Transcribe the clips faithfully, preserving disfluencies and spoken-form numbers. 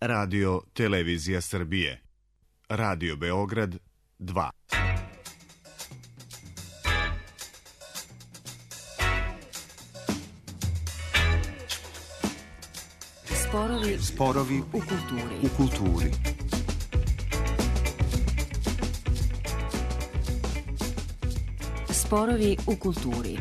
Radio Televizija Srbije. Radio Beograd dva. Sporovi, Sporovi u kulturi. U kulturi. Sporovi u kulturi.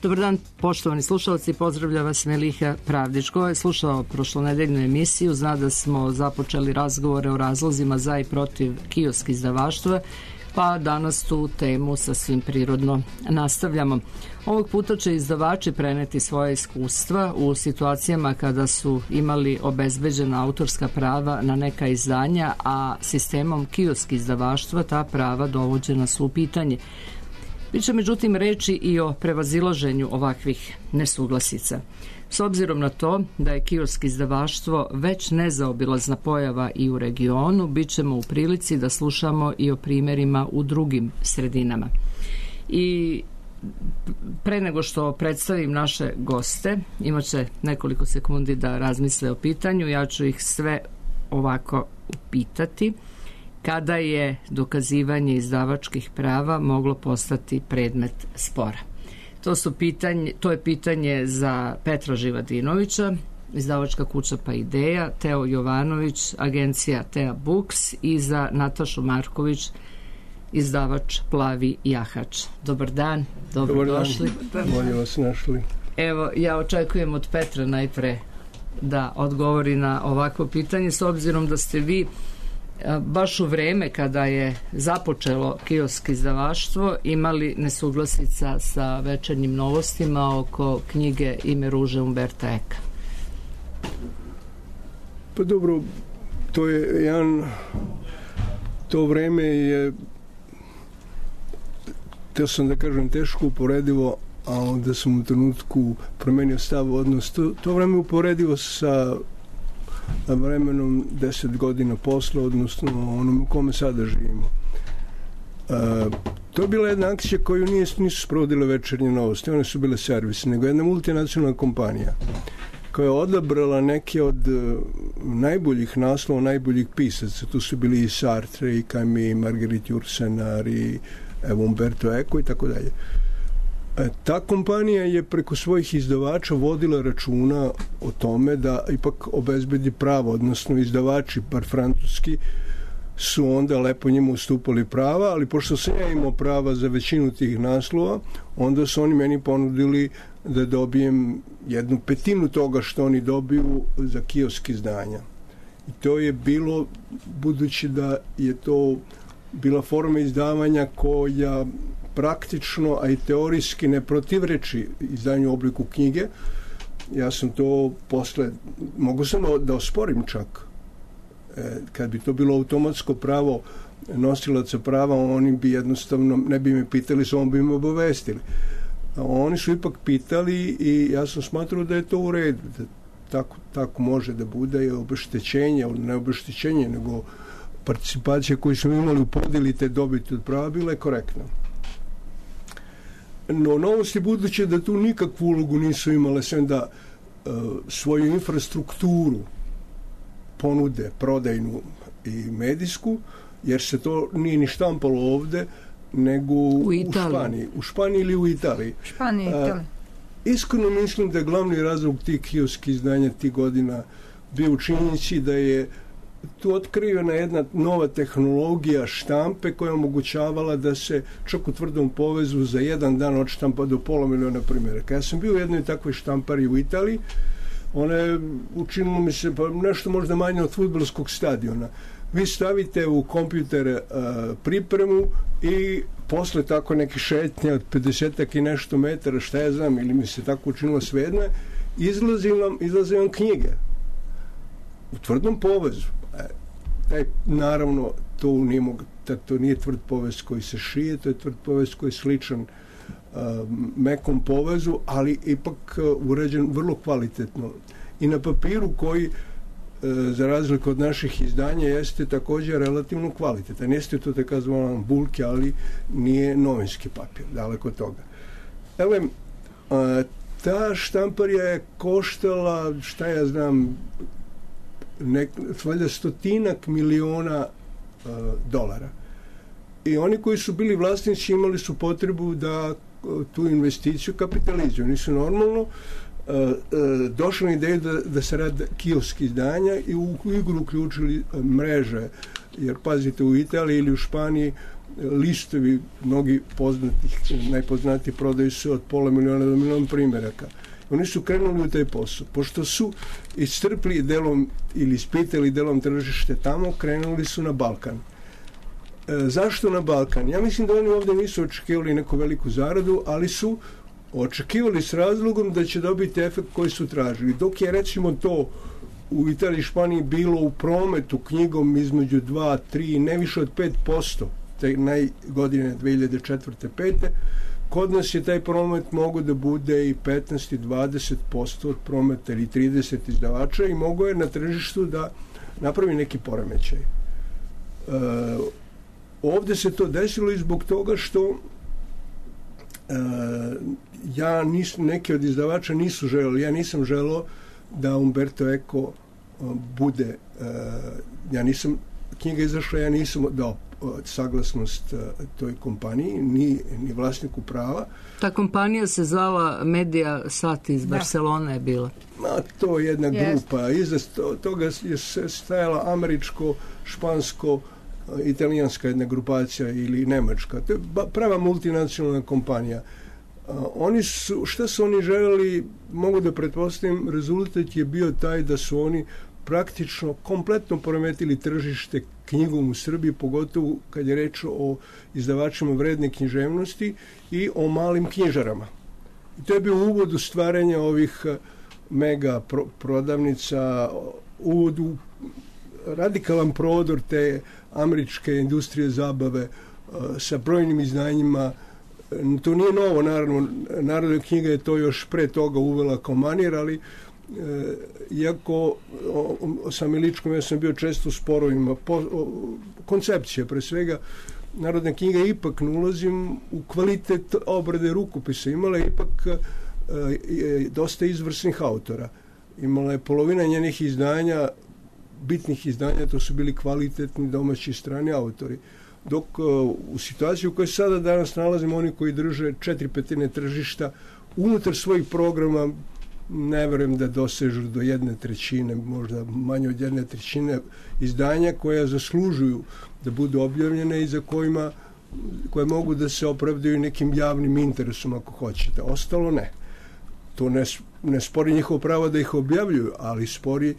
Dobar dan, poštovani slušalci, pozdravlja vas Meliha Pravdić. Ko je slušao prošlonedeljnu emisiju zna da smo započeli razgovore o razlozima za i protiv kiosk izdavaštva, pa danas tu temu sasvim prirodno nastavljamo. Ovog puta će izdavači preneti svoje iskustva u situacijama kada su imali obezbeđena autorska prava na neka izdanja, a sistemom kiosk izdavaštva ta prava dovođena su u pitanje. Biće međutim reči i o prevazilaženju ovakvih nesuglasica. S obzirom na to da je kiosk izdavaštvo već nezaobilazna pojava i u regionu, bit ćemo u prilici da slušamo i o primjerima u drugim sredinama. I pre nego što predstavim naše goste, imat će nekoliko sekundi da razmisle o pitanju, ja ću ih sve ovako upitati. Kada je dokazivanje izdavačkih prava moglo postati predmet spora? To, su pitanje, to je pitanje za Petra Živadinovića, izdavačka kuća Pa Ideja, Teo Jovanović, agencija Tea Books, i za Natašu Marković, izdavač Plavi jahač. Dobar dan, dobrodošli. Dobar dan, bolje vas našli. Evo, ja očekujem od Petra najpre da odgovori na ovakvo pitanje, s obzirom da ste vi baš u vreme kada je započelo kiosk izdavaštvo imali nesuglasica sa Večernjim novostima oko knjige Ime ruže Umberta Eka. Pa dobro, to je jedan, to vreme je, teo sam da kažem, teško uporedivo, a onda sam u trenutku promenio stav, odnos, to, to vreme uporedivo sa vremenom deset godina posle, odnosno onom u kome sada živimo. E, to je bila jedna akcija koju nije, nisu sprovodile Večernje novosti, one su bile servis, nego jedna multinacionalna kompanija koja je odabrala neke od uh, najboljih naslova, najboljih pisaca. Tu su bili i Sartre, i Camus, i Marguerite Yourcenar, i evo Umberto Eco i tako dalje. Ta kompanija je preko svojih izdavača vodila računa o tome da ipak obezbedi pravo, odnosno izdavači, bar francuski, su onda lepo njima ustupali prava, ali pošto sam ja imao prava za većinu tih naslova, onda su oni meni ponudili da dobijem jednu petinu toga što oni dobiju za kiosk izdanja. I to je bilo, budući da je to bila forma izdavanja koja praktično, a i teorijski ne protivreči izdanju u obliku knjige. Ja sam to posle, mogu sam da osporim čak. E, kad bi to bilo automatsko pravo nosilaca prava, oni bi jednostavno, ne bi me pitali, samo bi me obavestili. A oni su ipak pitali i ja sam smatrao da je to u redu, da tako, tako može da bude, i obeštećenje, ne obeštećenje, nego participacija koju smo imali u podeli te dobiti od prava bila je korektna. No, novosti, budući da tu nikakvu ulogu nisu imale, sem da uh, svoju infrastrukturu ponude, prodajnu i medijsku, jer se to nije ni štampalo ovde, nego u, u Španiji. U Španiji ili u Italiji. Španiji i Italiji. Uh, iskreno mislim da je glavni razlog tih kiosk izdanja tih godina bio u činjenici da je tu otkrivena jedna nova tehnologija štampe koja je omogućavala da se čak u tvrdom povezu za jedan dan odštampa do pola miliona primjeraka. Ja sam bio u jednoj takvoj štampari u Italiji, ona je, učinilo mi se, pa nešto možda manje od fudbalskog stadiona. Vi stavite u kompjuter uh, pripremu i posle tako neke šetnje od pedesetak i nešto metara, šta ja znam, ili mi se tako učinilo svejedno, izlazi vam, izlaze vam knjige u tvrdom povezu. Taj, naravno, to nije, mog, to nije tvrd povez koji se šije, to je tvrd povez koji je sličan uh, mekom povezu, ali ipak uh, uređen vrlo kvalitetno. I na papiru koji za razliku od naših izdanja, jeste također relativno kvalitetan. Jeste to tako zvan bulke, ali nije novinski papir, daleko od toga. Evo, ta štamparija je koštala, šta ja znam, nek, valjda stotinak miliona uh, dolara. I oni koji su bili vlasnici imali su potrebu da uh, tu investiciju kapitalizuju. Oni su normalno uh, uh, došli na ideju da, da se rade kioski izdanja i u igru uključili uh, mreže. Jer pazite, u Italiji ili u Španiji listovi mnogi poznatih, najpoznatiji prodaju se od pola miliona do miliona primjeraka. Oni su krenuli u taj posao. Pošto su iscrpli delom ili ispitali delom tržište tamo, krenuli su na Balkan. E, zašto na Balkan? Ja mislim da oni ovdje nisu očekivali neku veliku zaradu, ali su očekivali s razlogom da će dobiti efekt koji su tražili. Dok je recimo to u Italiji i Španiji bilo u prometu knjigom između dva, tri, ne više od pet posto, te najgodine dve hiljade četvrte pete, kod nas je taj promet mogo da bude i petnaest i dvadeset posto od prometa ili trideset izdavača i mogo je na tržištu da napravi neki poremećaj. E, ovdje se to desilo i zbog toga što e, ja nis, neki od izdavača nisu želeli, ja nisam želeo da Umberto Eco bude, e, ja nisam, knjiga izašla, ja nisam dao saglasnost toj kompaniji, ni, ni vlasniku prava. Ta kompanija se zvala Media Sat iz da. Barcelone je bila. Ma, to je jedna yes. grupa. Iza toga je stajala američko, špansko, italijanska jedna grupacija ili nemačka. To je prava multinacionalna kompanija. Oni su, šta su oni želeli, mogu da pretpostavim, rezultat je bio taj da su oni praktično kompletno poremetili tržište knjigom u Srbiji, pogotovo kad je reč o izdavačima vredne književnosti i o malim knjižarama. I to je bio uvod u stvaranje ovih mega pro- prodavnica, uvod u radikalan prodor te američke industrije zabave uh, sa brojnim izdanjima. To nije novo, naravno, Narodna knjiga je to još pre toga uvela kao manir, ali E, iako o, o, sam Iličkom, ja sam bio često u sporovima po, o, koncepcije pre svega. Narodna knjiga ipak ne ulazim u kvalitet obrade rukopisa, imala je ipak e, e, dosta izvrsnih autora, imala je polovina njenih izdanja, bitnih izdanja, to su bili kvalitetni domaći i strani autori, dok e, u situaciji u kojoj sada danas nalazimo, oni koji drže četiri petine tržišta unutar svojih programa, ne verujem da dosežu do jedne trećine, možda manje od jedne trećine izdanja koja zaslužuju da budu objavljene i za kojima, koje mogu da se opravdaju nekim javnim interesom ako hoćete. Ostalo ne. To ne, ne spori njihovo pravo da ih objavljuju, ali spori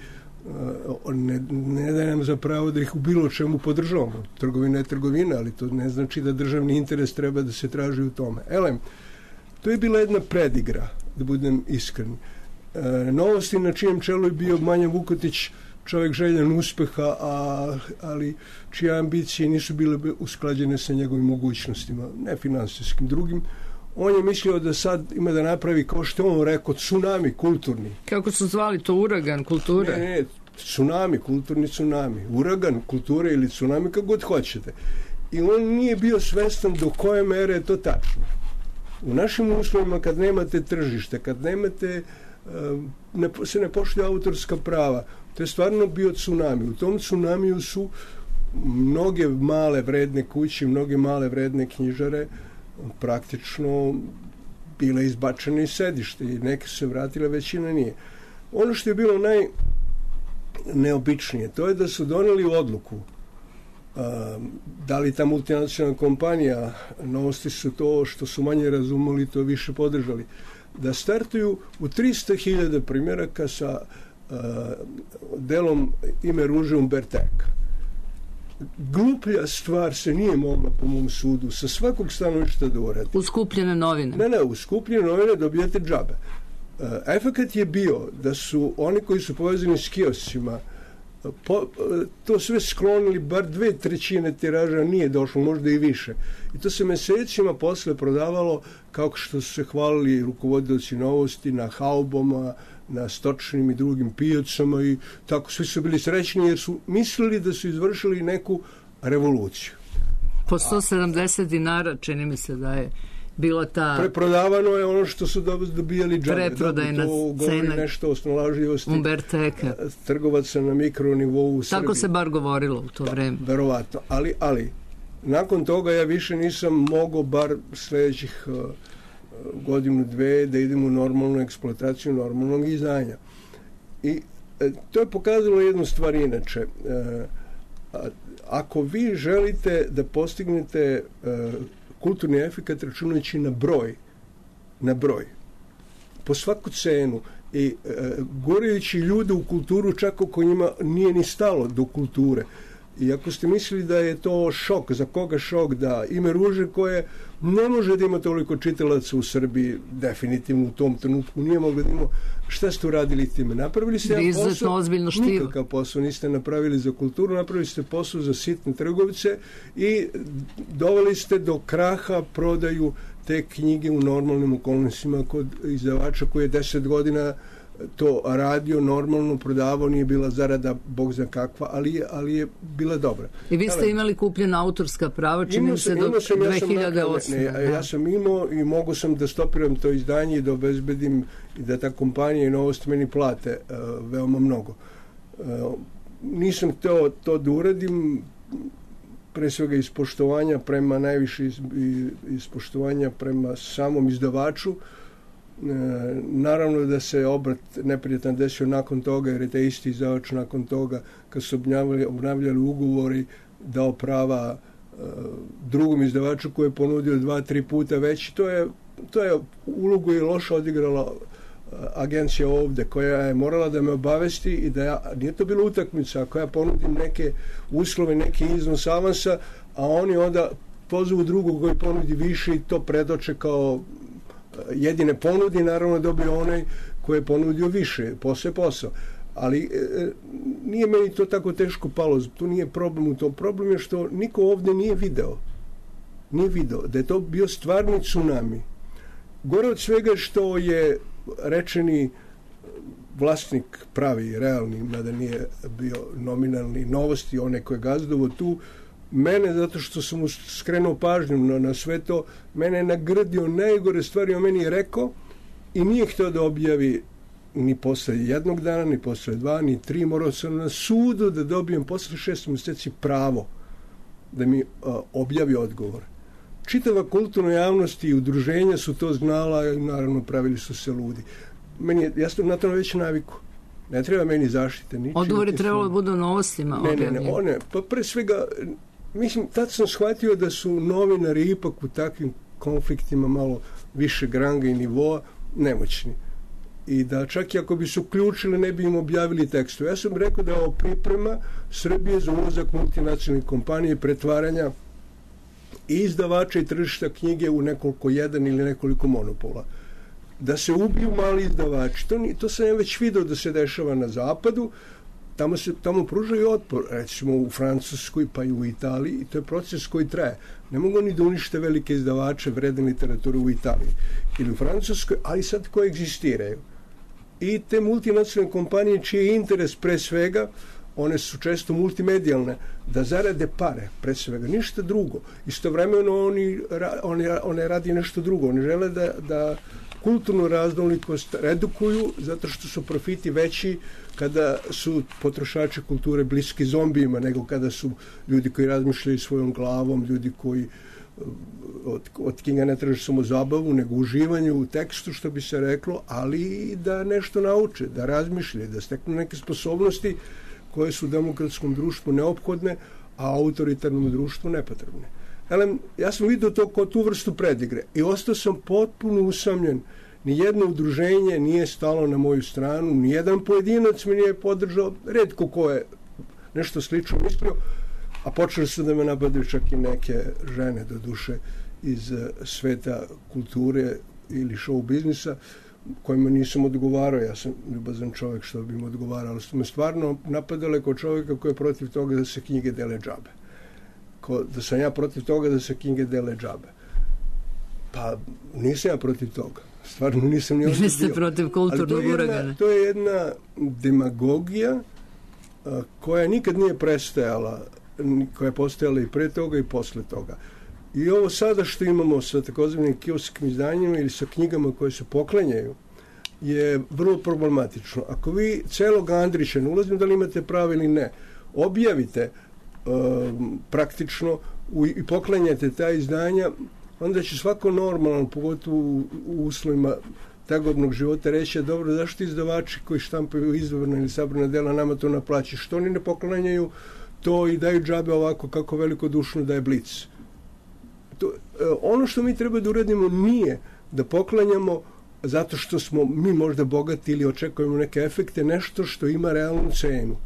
ne, ne daje nam za pravo da ih u bilo čemu podržavamo. Trgovina je trgovina, ali to ne znači da državni interes treba da se traži u tome. Elem, to je bila jedna predigra, da budem iskren. E, novosti na čijem čelu je bio Manja Vukotić, čovjek željan uspeha, a, ali čije ambicije nisu bile usklađene sa njegovim mogućnostima, ne finansijskim, drugim. On je mislio da sad ima da napravi, kao što on rekao, tsunami kulturni. Kako su zvali to, uragan kulture? Ne, ne, tsunami, kulturni tsunami. Uragan kulture ili tsunami, kako god hoćete. I on nije bio svestan do koje mere je to tačno. U našim uslovima, kad nemate tržište, kad nemate, ne, se ne poštuju autorska prava, to je stvarno bio tsunami. U tom tsunamiju su mnoge male vredne kuće, mnoge male vredne knjižare praktično bile izbačene iz sedište i neke su se vratile, većina nije. Ono što je bilo najneobičnije, to je da su doneli odluku, da li ta multinacionalna kompanija, novosti su to što su manje razumeli, to više podržali, da startuju u tristo hiljada primjeraka sa uh, delom Ime ruže Umberta Eka. Gluplja stvar se nije mogla, po mom sudu, sa svakog stanovišta da uradi. U skupljene novine? Ne, ne, u skupljene novine dobijate džabe. Uh, efekat je bio da su oni koji su povezani s kioscima Po, to sve sklonili, bar dve trećine tiraža nije došlo, možda i više. I to se mesecima posle prodavalo, kao što su se hvalili rukovodioci Novosti, na hauboma, na stočnim i drugim pijacama i tako svi su bili srećni jer su mislili da su izvršili neku revoluciju. Po sto sedamdeset dinara čini mi se da je bila ta... Preprodavano je ono što su dobijali džabe. Preprodajna cena nešto o snalažljivosti Umberteka. Trgovaca na mikronivou u Srbiji. Tako se bar govorilo u to vreme. Verovatno. Ali, ali nakon toga ja više nisam mogao bar sljedećih uh, godinu, dve da idem u normalnu eksploataciju normalnog izdanja. I e, to je pokazalo jednu stvar inače. E, a, ako vi želite da postignete e, kulturni efekat računajući na broj, na broj, po svaku cenu i e, gurajući ljude u kulturu čak ako njima nije ni stalo do kulture. I ako ste mislili da je to šok, za koga šok, da Ime ruže koje ne može da ima toliko čitalaca u Srbiji, definitivno u tom trenutku nije moglo da ima, šta ste uradili time? Napravili ste jedan posao, nikakav posao niste napravili za kulturu, napravili ste posao za sitne trgovice i doveli ste do kraha prodaju te knjige u normalnim okolnostima kod izdavača koji je deset godina to radio, normalno prodavao, nije bila zarada bog za kakva, ali je, ali je bila dobra. I vi ste ali, imali kupljena autorska prava, čini se do dve hiljade osme. Ja, ja sam imao i mogu sam da stopiram to izdanje i da obezbedim i da ta kompanija i Novost meni plate uh, veoma mnogo. Uh, nisam hteo to da uradim, pre svega iz poštovanja prema najviše iz, iz poštovanja prema samom izdavaču. E, naravno da se obrat neprijatan desio nakon toga jer je taj isti izdavač nakon toga kad su obnavljali, obnavljali ugovori dao prava e, drugom izdavaču koji je ponudio dva, tri puta veći. To je, to je ulogu je loše odigrala e, agencija ovde koja je morala da me obavesti i da ja, nije to bila utakmica, ako ja ponudim neke uslove, neki iznos avansa, a oni onda pozovu drugog koji ponudi više i to predoče kao jedine ponudi, naravno dobio onaj koji je ponudio više, posle posao. Ali e, nije meni to tako teško palo, to nije problem u tom. Problem je što niko ovde nije video. Nije video da je to bio stvarni tsunami. Gore od svega što je rečeni vlasnik pravi, realni, mada nije bio nominalni Novosti, onaj koji je gazdovo tu, mene, zato što sam mu skrenuo pažnju na, na sve to, mene je nagradio najgore stvari, o meni je rekao i nije htio da objavi ni posle jednog dana, ni posle dva, ni tri, morao sam na sudu da dobijem posle šest mjeseci pravo da mi a, objavi odgovor. Čitava kulturna javnost i udruženja su to znala i naravno pravili su se ludi. Meni je, ja sam na to već naviku. Ne treba meni zaštite. Odgovor je trebalo da budu u Novostima. Ne, ne, ne, one, pa pre svega, mislim, tad sam shvatio da su novinari ipak u takvim konfliktima malo više granga i nivoa nemoćni. I da čak i ako bi se uključili ne bi im objavili tekstu. Ja sam rekao da je ovo priprema Srbije za ulazak multinacionalnih kompanije, pretvaranja i izdavača i tržišta knjige u nekoliko jedan ili nekoliko monopola. Da se ubiju mali izdavači. To, to sam ja već vidio da se dešava na zapadu. Tamo se tamo pružaju otpor, recimo u Francuskoj pa i u Italiji, i to je proces koji traje. Ne mogu ni da unište velike izdavače vredne literature u Italiji ili u Francuskoj, ali sad koje egzistiraju. I te multinacionalne kompanije čiji je interes pre svega, one su često multimedijalne, da zarade pare, pre svega, ništa drugo. Istovremeno oni, oni, one radi nešto drugo. Oni žele da, da kulturnu raznolikost redukuju zato što su profiti veći kada su potrošači kulture bliski zombijima nego kada su ljudi koji razmišljaju svojom glavom, ljudi koji od, od knjiga ne traže samo zabavu nego uživanje u tekstu, što bi se reklo, ali i da nešto nauče, da razmišljaju, da steknu neke sposobnosti koje su u demokratskom društvu neophodne, a autoritarnom društvu nepotrebne. Elem, ja sam vidio to kao tu vrstu predigre i ostao sam potpuno usamljen. Nijedno udruženje nije stalo na moju stranu, nijedan pojedinac mi nije podržao, retko ko je nešto slično mislio, a počeli su da me napadaju čak i neke žene, do duše, iz sveta kulture ili show biznisa, kojima nisam odgovarao. Ja sam ljubazan čovjek što bi im odgovarao, ali su me stvarno napadale kao čovjeka koji je protiv toga da se knjige dele džabe. Ko, da sam ja protiv toga da se knjige dele džabe. Pa nisam ja protiv toga. Stvarno nisam ni ovdje bio. Vi ste protiv kulturnog uragana. To je jedna demagogija a, koja nikad nije prestajala, koja je postojala i pre toga i posle toga. I ovo sada što imamo sa takozvanim kioskim izdanjima ili sa knjigama koje se poklanjaju je vrlo problematično. Ako vi celog Andrića, ne ulazim da li imate pravo ili ne, objavite um, praktično u, i poklanjate ta izdanja, onda će svako normalno, pogotovo u, u uslovima tegobnog života, reći, dobro, zašto izdavači koji štampaju izdvorna ili sabrana dela nama to naplaći? Što oni ne poklanjaju to i daju džabe ovako kako velikodušno daje Blic? To, ono što mi treba da uradimo nije da poklanjamo zato što smo mi možda bogati ili očekujemo neke efekte, nešto što ima realnu cenu.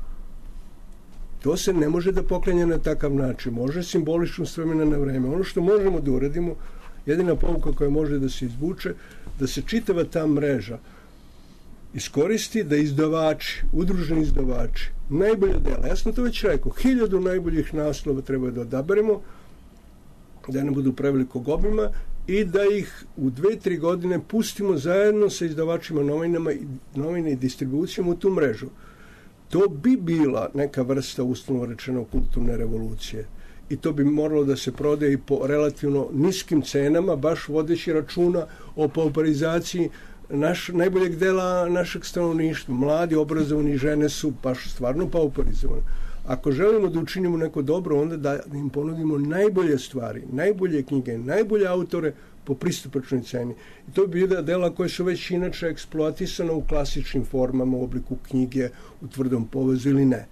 To se ne može da poklanja na takav način. Može simbolično s vremena na vreme. Ono što možemo da uradimo, jedina pouka koja može da se izvuče, da se čitava ta mreža iskoristi da izdavači, udruženi izdavači, najbolja dela, ja sam to već rekao, hiljadu najboljih naslova treba da odaberemo, da ne budu prevelikog obima i da ih u dve, tri godine pustimo zajedno sa izdavačima novinama, novine i distribucijom u tu mrežu. To bi bila neka vrsta, uslovno rečeno, kulturne revolucije. I to bi moralo da se prodaje i po relativno niskim cenama, baš vodeći računa o pauperizaciji naš, najboljeg dela našeg stanovništva. Mladi, obrazovani žene su baš stvarno pauperizovane. Ako želimo da učinimo neko dobro, onda da im ponudimo najbolje stvari, najbolje knjige, najbolje autore po pristupačnoj ceni. I to bi bila dela koje su već inače eksploatisane u klasičnim formama, u obliku knjige, u tvrdom povezu ili ne.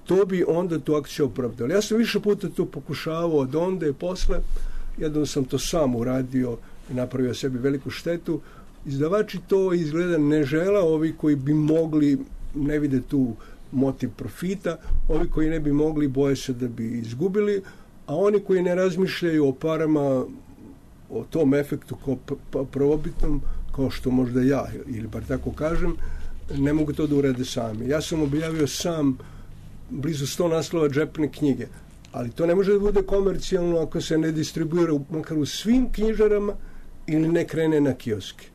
To bi onda tu akciju opravdali. Ja sam više puta to pokušavao od onda i posle, jednom sam to sam uradio i napravio sebi veliku štetu. Izdavači to izgleda ne žele, ovi koji bi mogli, ne vide tu motiv profita, ovi koji ne bi mogli boje se da bi izgubili, a oni koji ne razmišljaju o parama, o tom efektu kao prvobitnom, kao što možda ja, ili bar tako kažem, ne mogu to da urade sami. Ja sam objavio sam blizu sto naslova džepne knjige, ali to ne može da bude komercijalno ako se ne distribuira makar u svim knjižarama ili ne krene na kioske.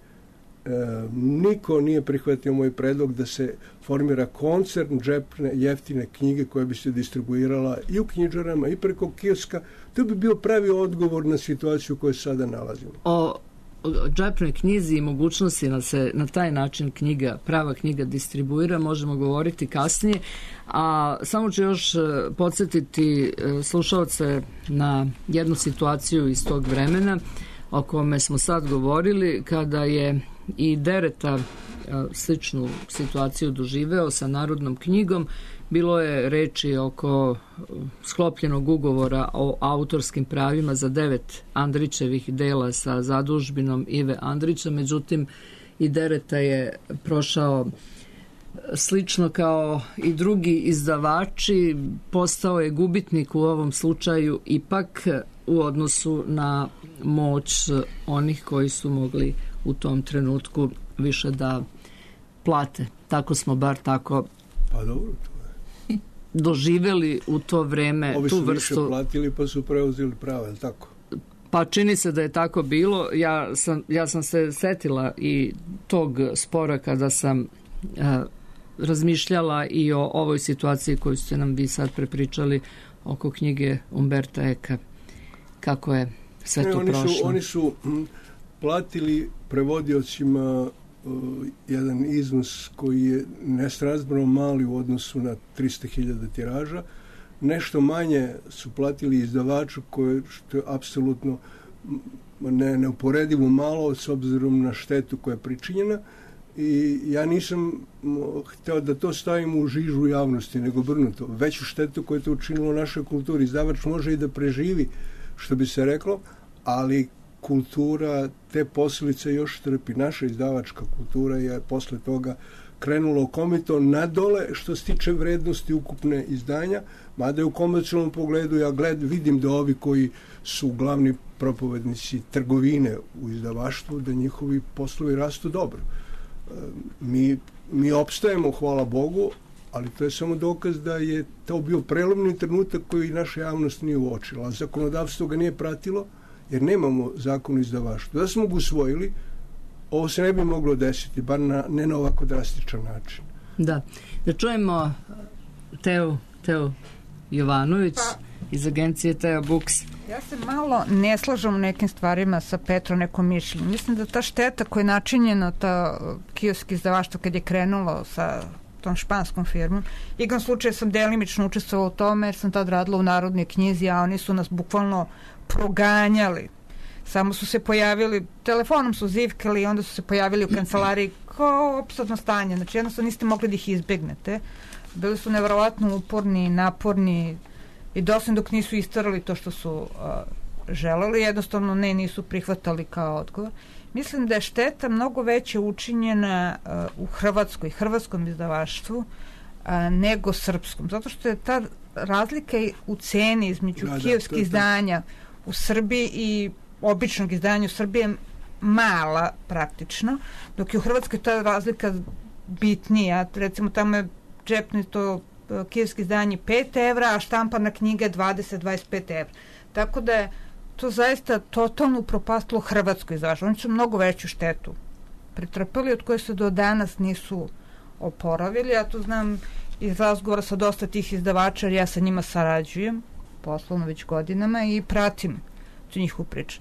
E, niko nije prihvatio moj predlog da se formira koncern džepne, jeftine knjige koja bi se distribuirala i u knjižarama i preko kioska. To bi bio pravi odgovor na situaciju u kojoj sada nalazimo. O džepnoj knjizi i mogućnosti da se na taj način knjiga, prava knjiga distribuira, možemo govoriti kasnije, a samo ću još podsjetiti slušalce na jednu situaciju iz tog vremena o kome smo sad govorili, kada je i Dereta sličnu situaciju doživeo sa Narodnom knjigom. Bilo je reči oko sklopljenog ugovora o autorskim pravima za devet Andrićevih dela sa zadužbinom Ive Andrića, međutim i Dereta je prošao slično kao i drugi izdavači, postao je gubitnik u ovom slučaju ipak u odnosu na moć onih koji su mogli u tom trenutku više da plate. Tako smo bar tako pa dobro, to je. doživeli u to vreme Ovi tu su vrstu. više platili pa su preuzeli prava, je li tako? Pa čini se da je tako bilo. Ja sam, ja sam se setila i tog spora kada sam a, razmišljala i o ovoj situaciji koju ste nam vi sad prepričali oko knjige Umberta Eka. Kako je sve ne, to oni prošlo? Su, oni su m, platili prevodiocima uh, jedan iznos koji je nesrazmjerno mali u odnosu na trista hiljada tiraža. Nešto manje su platili izdavaču koje što je apsolutno ne, neuporedivo malo s obzirom na štetu koja je pričinjena. I ja nisam hteo da to stavimo u žižu javnosti, nego obrnuto. Veću štetu koju je to učinilo našoj kulturi. Izdavač može i da preživi, što bi se reklo, ali kultura te posljedice još trpi. Naša izdavačka kultura je posle toga krenulo komito nadole što se tiče vrednosti ukupne izdanja, mada je u komercijalnom pogledu ja gled, vidim da ovi koji su glavni propovednici trgovine u izdavaštvu, da njihovi poslovi rastu dobro. Mi, mi opstajemo, hvala Bogu, ali to je samo dokaz da je to bio prelomni trenutak koji naša javnost nije uočila. A zakonodavstvo ga nije pratilo, jer nemamo zakon o izdavaštvu. Da smo ga usvojili, ovo se ne bi moglo desiti, bar na, ne na ovako drastičan način. Da. Da čujemo Teu, Teu Jovanović pa, iz agencije Teo Books. Ja se malo ne slažem u nekim stvarima sa Petrom, nekom mišljenju. Mislim da ta šteta koja je načinjena, ta kiosk izdavaštvo kad je krenulo sa tom španskom firmom, igrom slučaja sam delimično učestvovala u tome jer sam tad radila u Narodnoj knjizi, a oni su nas bukvalno proganjali. Samo su se pojavili, telefonom su zivkali i onda su se pojavili u kancelariji kao opsadno stanje. Znači jednostavno niste mogli da ih izbegnete. Bili su nevjerovatno uporni, naporni i doslovno dok nisu istarali to što su uh, želeli, jednostavno ne, nisu prihvatali kao odgovor. Mislim da je šteta mnogo veće učinjena uh, u Hrvatskoj, hrvatskom izdavaštvu uh, nego srpskom. Zato što je ta razlika u ceni između da, kijevskih da, izdanja u Srbiji i običnog izdanja u Srbiji je mala praktično, dok je u Hrvatskoj ta razlika bitnija. Recimo tamo je džepni to kijevski izdanje pet evra, a štampana knjiga dvadeset do dvadeset pet evra. Tako da je to zaista totalno upropastilo Hrvatsko izdavaštvo. Oni su mnogo veću štetu pretrpali od koje se do danas nisu oporavili. Ja to znam iz razgovora sa dosta tih izdavača, jer ja sa njima sarađujem poslovno već godinama i pratim tu njihovu priču.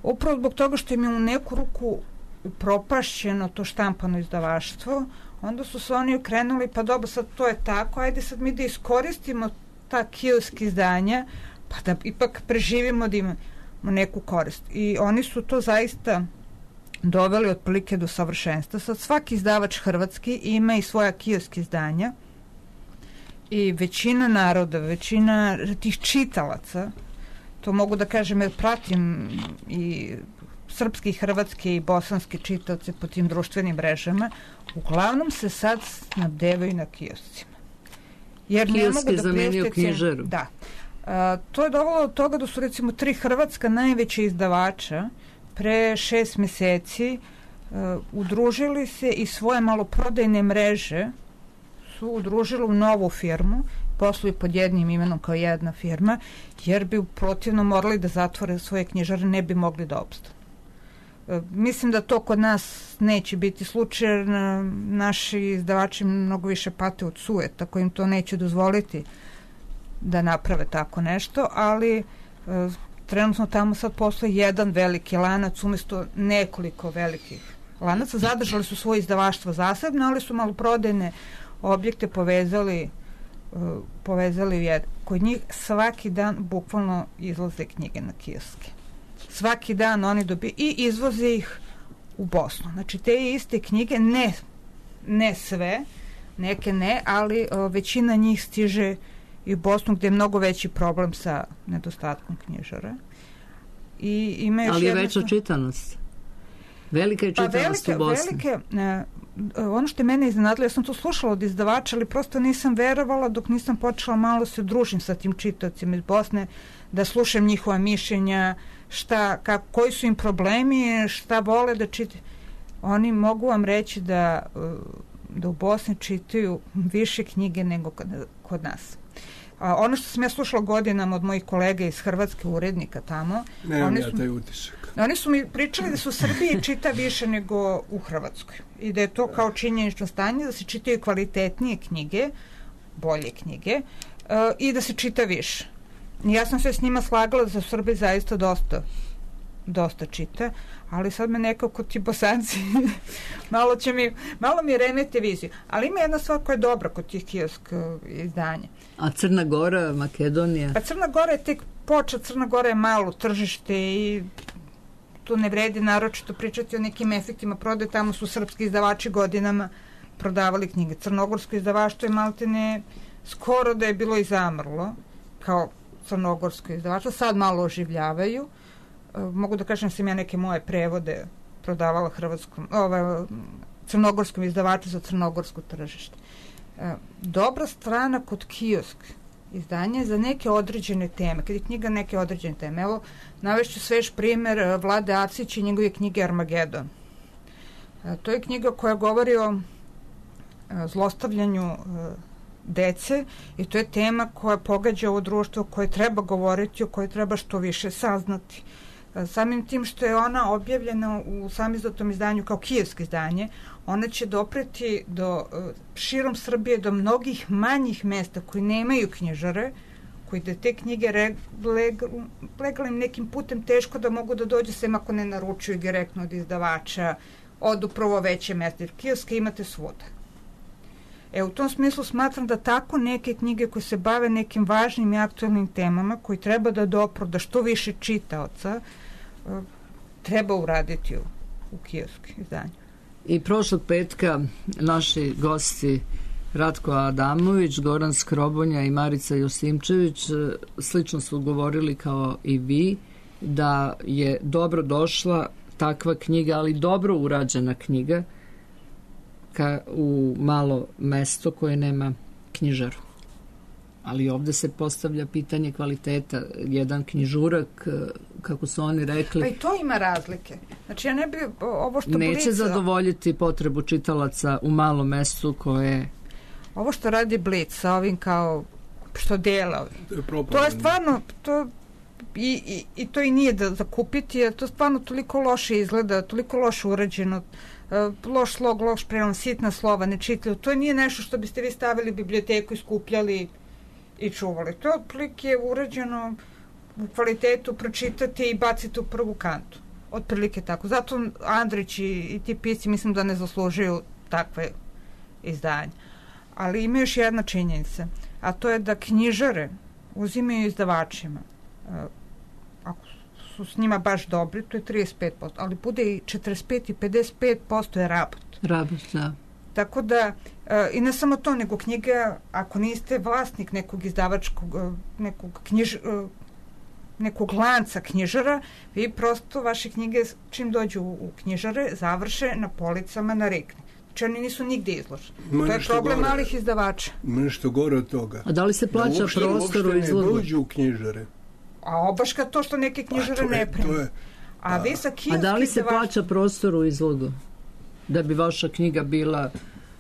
Upravo zbog toga što im je u neku ruku upropašćeno to štampano izdavaštvo, onda su se oni okrenuli, pa dobro, sad to je tako, ajde sad mi da iskoristimo ta kiosk izdanja, pa da ipak preživimo, da imamo neku korist. I oni su to zaista doveli otprilike do savršenstva. Sad svaki izdavač hrvatski ima i svoja kiosk izdanja i većina naroda, većina tih čitalaca, to mogu da kažem jer pratim i srpski, hrvatski i bosanski čitaoci po tim društvenim mrežama, uglavnom se sad snabdevaju na kioscima. Jer kiosk ne mogu je da zamenio knjižaru. Da. A, to je dovelo od toga da su recimo tri hrvatska najveća izdavača pre šest meseci a, udružili se i svoje maloprodajne mreže su udružili u novu firmu, posluju pod jednim imenom kao jedna firma, jer bi protivno morali da zatvore svoje knjižare, ne bi mogli da opstanu. Mislim da to kod nas neće biti slučaj, jer naši izdavači mnogo više pate od sujeta koji im to neće dozvoliti da naprave tako nešto, ali e, trenutno tamo sad postoji jedan veliki lanac umjesto nekoliko velikih lanaca. Zadržali su svoje izdavaštvo zasebno, ali su maloprodajne objekte povezali e, povezali u jedan. Kod njih svaki dan bukvalno izlaze knjige na kioske. Svaki dan oni dobiju i izvoze ih u Bosnu. Znači te iste knjige, ne, ne sve, neke ne, ali o, većina njih stiže i u Bosnu gdje je mnogo veći problem sa nedostatkom knjižara. I ima još ali je jedna... veća čitanost. Velika je čitanost pa velike, u Bosni. Velike, ne, ono što je mene iznenadilo, ja sam to slušala od izdavača, ali prosto nisam verovala dok nisam počela malo se družim sa tim čitaocima iz Bosne, da slušam njihova mišljenja, šta, kako, koji su im problemi, šta vole da čitaju. Oni mogu vam reći da, da u Bosni čitaju više knjige nego kod, kod nas. A ono što sam ja slušala godinama od mojih kolega iz Hrvatske, urednika tamo, nemam oni ja su, taj utisak. Oni su mi pričali da su u Srbiji čita više nego u Hrvatskoj. I da je to kao činjenično stanje, da se čitaju kvalitetnije knjige, bolje knjige, uh, i da se čita više. Ja sam se s njima slagala da se u Srbiji zaista dosta dosta čita, ali sad me nekako ti Bosanci malo će mi, malo mi remete viziju. Ali ima jedna stvar koja je dobra kod tih kiosk izdanja. A Crna Gora, Makedonija? A Crna Gora je tek počet, Crna Gora je malo tržište i tu ne vredi naročito pričati o nekim efektima prodaje, tamo su srpski izdavači godinama prodavali knjige. Crnogorsko izdavaštvo je maltene skoro da je bilo i zamrlo, kao crnogorsko izdavaštvo, sad malo oživljavaju. Mogu da kažem da sam ja neke moje prevode prodavala hrvatskom, ovaj, crnogorskom izdavaču za crnogorsko tržište. Dobra strana kod kiosk izdanja je za neke određene teme, kad je knjiga neke određene teme. Evo, navešću svež primjer Vlade Avsića i njegove knjige Armagedon. To je knjiga koja govori o zlostavljanju dece i to je tema koja pogađa ovo društvo, koje treba govoriti, o kojoj treba što više saznati. Samim tim što je ona objavljena u samizdatom izdanju kao kijevsko izdanje, ona će dopreti do širom Srbije, do mnogih manjih mesta koji nemaju knjižare, koji da te knjige legalnim nekim putem teško da mogu da dođu, sem ako ne naručuju direktno od izdavača, od upravo veće mesta, jer kioske imate svuda. E, u tom smislu smatram da tako neke knjige koje se bave nekim važnim i aktualnim temama, koji treba da dopru, da što više čitaoca, treba uraditi u, u kiosku izdanju. I prošlog petka naši gosti Ratko Adamović, Goran Skrobonja i Marica Josimčević slično su govorili kao i vi, da je dobro došla takva knjiga, ali dobro urađena knjiga ka, u malo mesto koje nema knjižaru. Ali ovde se postavlja pitanje kvaliteta. Jedan knjižurak, kako su oni rekli... Pa i to ima razlike. Znači, ja ne bi ovo što... Neće Blica, zadovoljiti potrebu čitalaca u malom mestu koje... Ovo što radi Blic sa ovim kao što dela, to, to je stvarno... To, i, i, I to i nije da zakupiti, jer to stvarno toliko loše izgleda, toliko loše urađeno, loš slog, loš prenom, sitna slova, nečitljivo. To nije nešto što biste vi stavili u biblioteku i skupljali i čuvali. To je otprilike urađeno u kvalitetu, pročitati i baciti u prvu kantu. Otprilike tako. Zato Andrić i, i ti pisci mislim da ne zaslužuju takve izdanje. Ali ima još jedna činjenica, a to je da knjižare uzimaju izdavačima. Ako su s njima baš dobri, to je trideset pet posto, ali bude i četrdeset pet i pedeset pet posto je rabot. Rabot, da. Tako da, i ne samo to, nego knjiga, ako niste vlasnik nekog izdavačkog, nekog knjiž, nekog lanca knjižara, vi prosto vaše knjige čim dođu u knjižare završe na policama na Rikni. Znači oni nisu nigde izloženi. To je problem gore, malih izdavača. Ima nešto gore od toga. A da li se plaća da uopšte, prostor u izlogu? Ne dođu u knjižare. A obaška to što neke knjižare je, ne prime. Je, a, vi sa a da li se izdavač... plaća prostor u izlogu? Da bi vaša knjiga bila...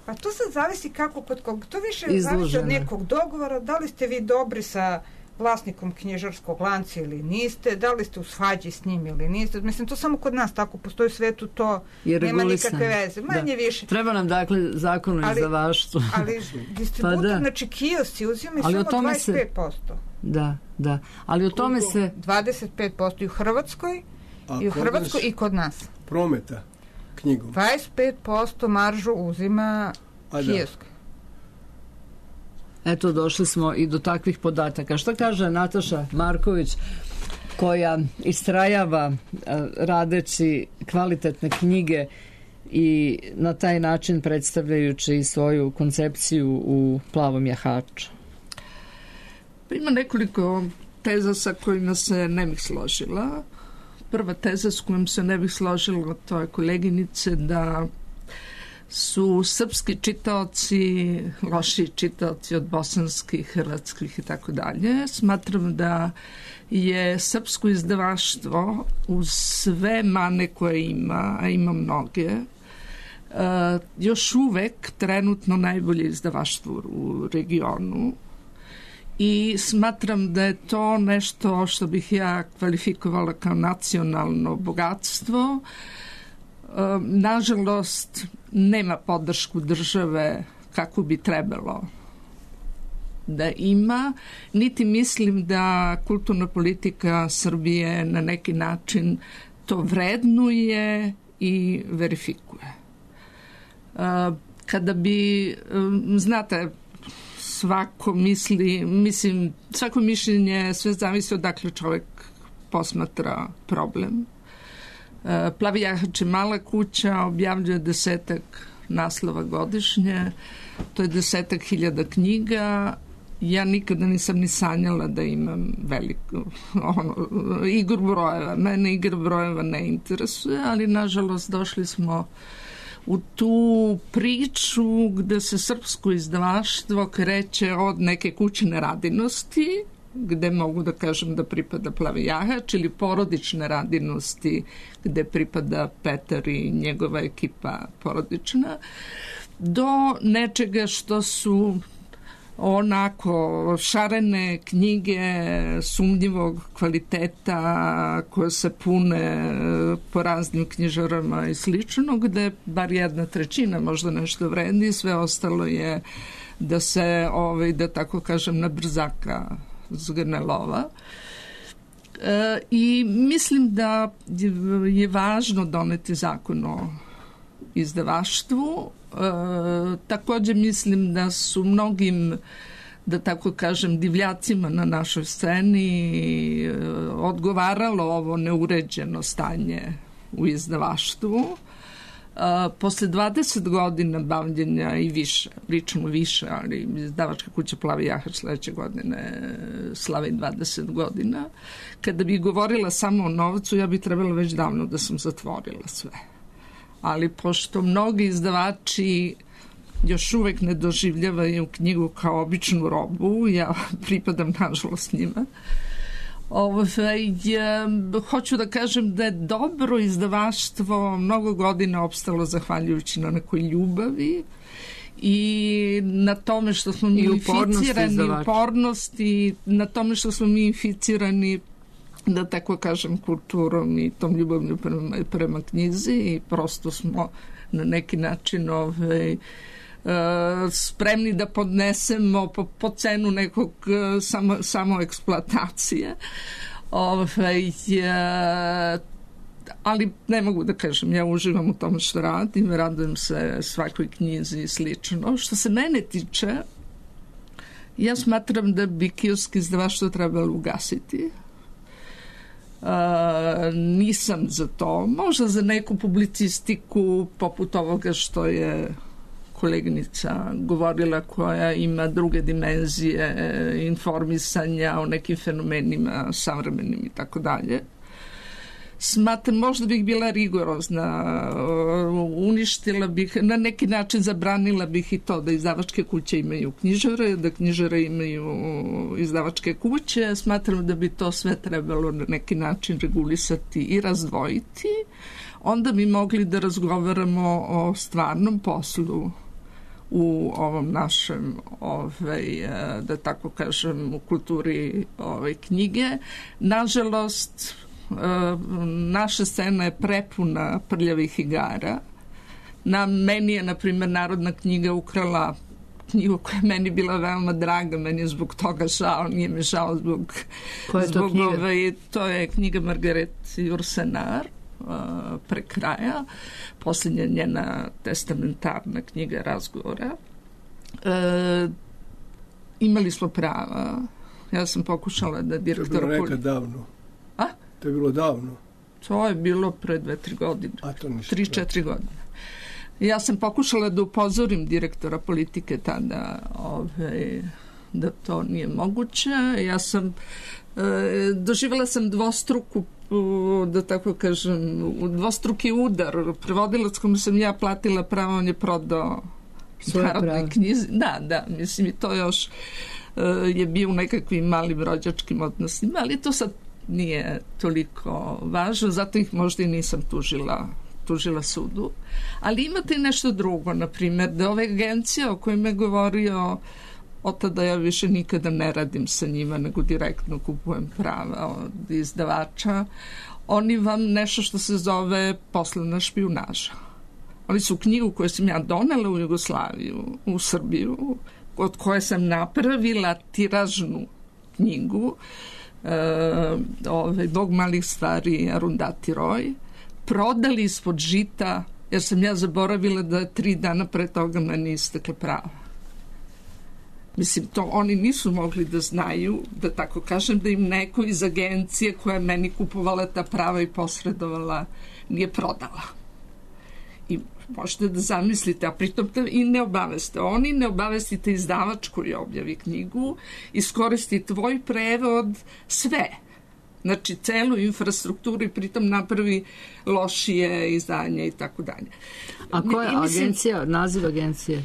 Pa to sad zavisi kako kod kog. To više izložena. Zavisi od nekog dogovora. Da li ste vi dobri sa vlasnikom knjižarskog lanca ili niste, da li ste u svađi s njim ili niste. Mislim, to samo kod nas tako postoji u svetu, to nema nikakve veze. Manje da. više. Treba nam, dakle, zakon o izdavaštvu. Ali distributor, pa da. znači kiosci uzimaju samo dvadeset pet posto. Se... Da, da. Ali o tome Koliko? se... dvadeset pet posto i u Hrvatskoj, A i u Hrvatskoj i kod nas. Prometa knjigom. dvadeset pet posto maržu uzima kiosk. Eto, došli smo i do takvih podataka. Što kaže Nataša Marković, koja istrajava radeći kvalitetne knjige i na taj način predstavljajući svoju koncepciju u Plavom jahaču? Ima nekoliko teza sa kojima se ne bih složila. Prva teza s kojom se ne bih složila, to je koleginice, da su srpski čitaoci loši čitaoci od bosanskih, hrvatskih i tako dalje. Smatram da je srpsko izdavaštvo uz sve mane koje ima, a ima mnoge, uh, još uvek trenutno najbolje izdavaštvo u regionu i smatram da je to nešto što bih ja kvalifikovala kao nacionalno bogatstvo. Nažalost, nema podršku države kako bi trebalo da ima, niti mislim da kulturna politika Srbije na neki način to vrednuje i verifikuje. Kada bi, znate, svako misli, mislim, svako mišljenje sve zavisi odakle čovjek posmatra problem. Plavi jahač je mala kuća, objavljuje desetak naslova godišnje, to je desetak hiljada knjiga. Ja nikada nisam ni sanjala da imam veliku ono, igru brojeva. Mene igra brojeva ne interesuje, ali nažalost došli smo u tu priču gde se srpsko izdavaštvo kreće od neke kućne radinosti, gde mogu da kažem da pripada Plavi jahač, ili porodične radinosti gde pripada Petar i njegova ekipa porodična, do nečega što su onako šarene knjige sumnjivog kvaliteta koje se pune po raznim knjižarama i slično, gde bar jedna trećina možda nešto vredi, sve ostalo je da se, ovaj, da tako kažem, na brzaka zgrne lova. E, I mislim da je važno doneti zakon o izdavaštvu. E, također mislim da su mnogim, da tako kažem, divljacima na našoj sceni e, odgovaralo ovo neuređeno stanje u izdavaštvu. E, posle dvadeset godina bavljenja i više, pričamo više, ali izdavačka kuća Plavi jahač sledeće godine slavi dvadeset godina. Kada bi govorila samo o novcu, ja bi trebala već davno da sam zatvorila sve. Ali pošto mnogi izdavači još uvek ne doživljavaju knjigu kao običnu robu, ja pripadam nažalost njima, ovaj, hoću da kažem da je dobro izdavaštvo mnogo godina opstalo zahvaljujući na nekoj ljubavi i na tome što smo mi inficirani, upornost i na tome što smo mi inficirani, da tako kažem, kulturom i tom ljubavlju prema, prema knjizi i prosto smo na neki način ovaj, spremni da podnesemo po, po cenu nekog samo, samo eksploatacije. Ovaj, ali ne mogu da kažem, ja uživam u tome što radim, radujem se svakoj knjizi i slično. Što se mene tiče, ja smatram da bi kioski izdavaštvo trebalo ugasiti. Uh, nisam za to, možda za neku publicistiku poput ovoga što je koleginica govorila, koja ima druge dimenzije informisanja o nekim fenomenima savremenim i tako dalje. Smatram, možda bih bila rigorozna, uništila bih, na neki način zabranila bih i to da izdavačke kuće imaju knjižare, da knjižare imaju izdavačke kuće. Smatram da bi to sve trebalo na neki način regulisati i razdvojiti. Onda bi mogli da razgovaramo o stvarnom poslu u ovom našem, ovaj, da tako kažem, u kulturi ovaj, knjige. Nažalost, naša scena je prepuna prljavih igara. Na meni je, na primjer, Narodna knjiga ukrala knjigu koja je meni bila veoma draga, meni je zbog toga žao, nije mi žao zbog... Koja je to zbog knjiga? Ove, to je knjiga Margaret Jursenar, pre kraja, posljednja njena testamentarna knjiga razgovora. E, imali smo prava. Ja sam pokušala da direktora... To je bilo nekad davno. A? To je bilo davno. To je bilo pre dve, tri godine. A to ništa. Tri, četiri godine. Ja sam pokušala da upozorim direktora politike tada ove, da to nije moguće. Ja sam e, doživjela sam dvostruku, da tako kažem, dvostruki udar. Prevodilac kome sam ja platila pravo, on je prodao Narodnoj knjizi. Da, da, mislim i to još e, je bio u nekakvim malim rođačkim odnosima, ali to sad nije toliko važno, zato ih možda i nisam tužila tužila sudu. Ali imate i nešto drugo, na primjer, da ove agencije o kojima je govorio od tada ja više nikada ne radim sa njima, nego direktno kupujem prava od izdavača. Oni vam nešto što se zove poslovna špijunaža. Oni su knjigu koju sam ja donela u Jugoslaviju, u Srbiju, od koje sam napravila tiražnu knjigu, e, ove, Bog malih stvari, Arundhati Roy, prodali ispod žita, jer sam ja zaboravila da tri dana pre toga meni istekle prava. Mislim, to oni nisu mogli da znaju, da tako kažem, da im neko iz agencije koja je meni kupovala ta prava i posredovala nije prodala. I možete da zamislite, a pritom i ne obaveste. Oni ne obavestite izdavač koji objavi knjigu, iskoristi tvoj prevod, sve. Znači, celu infrastrukturu i pritom napravi lošije izdanje i tako dalje. A koja je mislim, agencija, naziv agencije?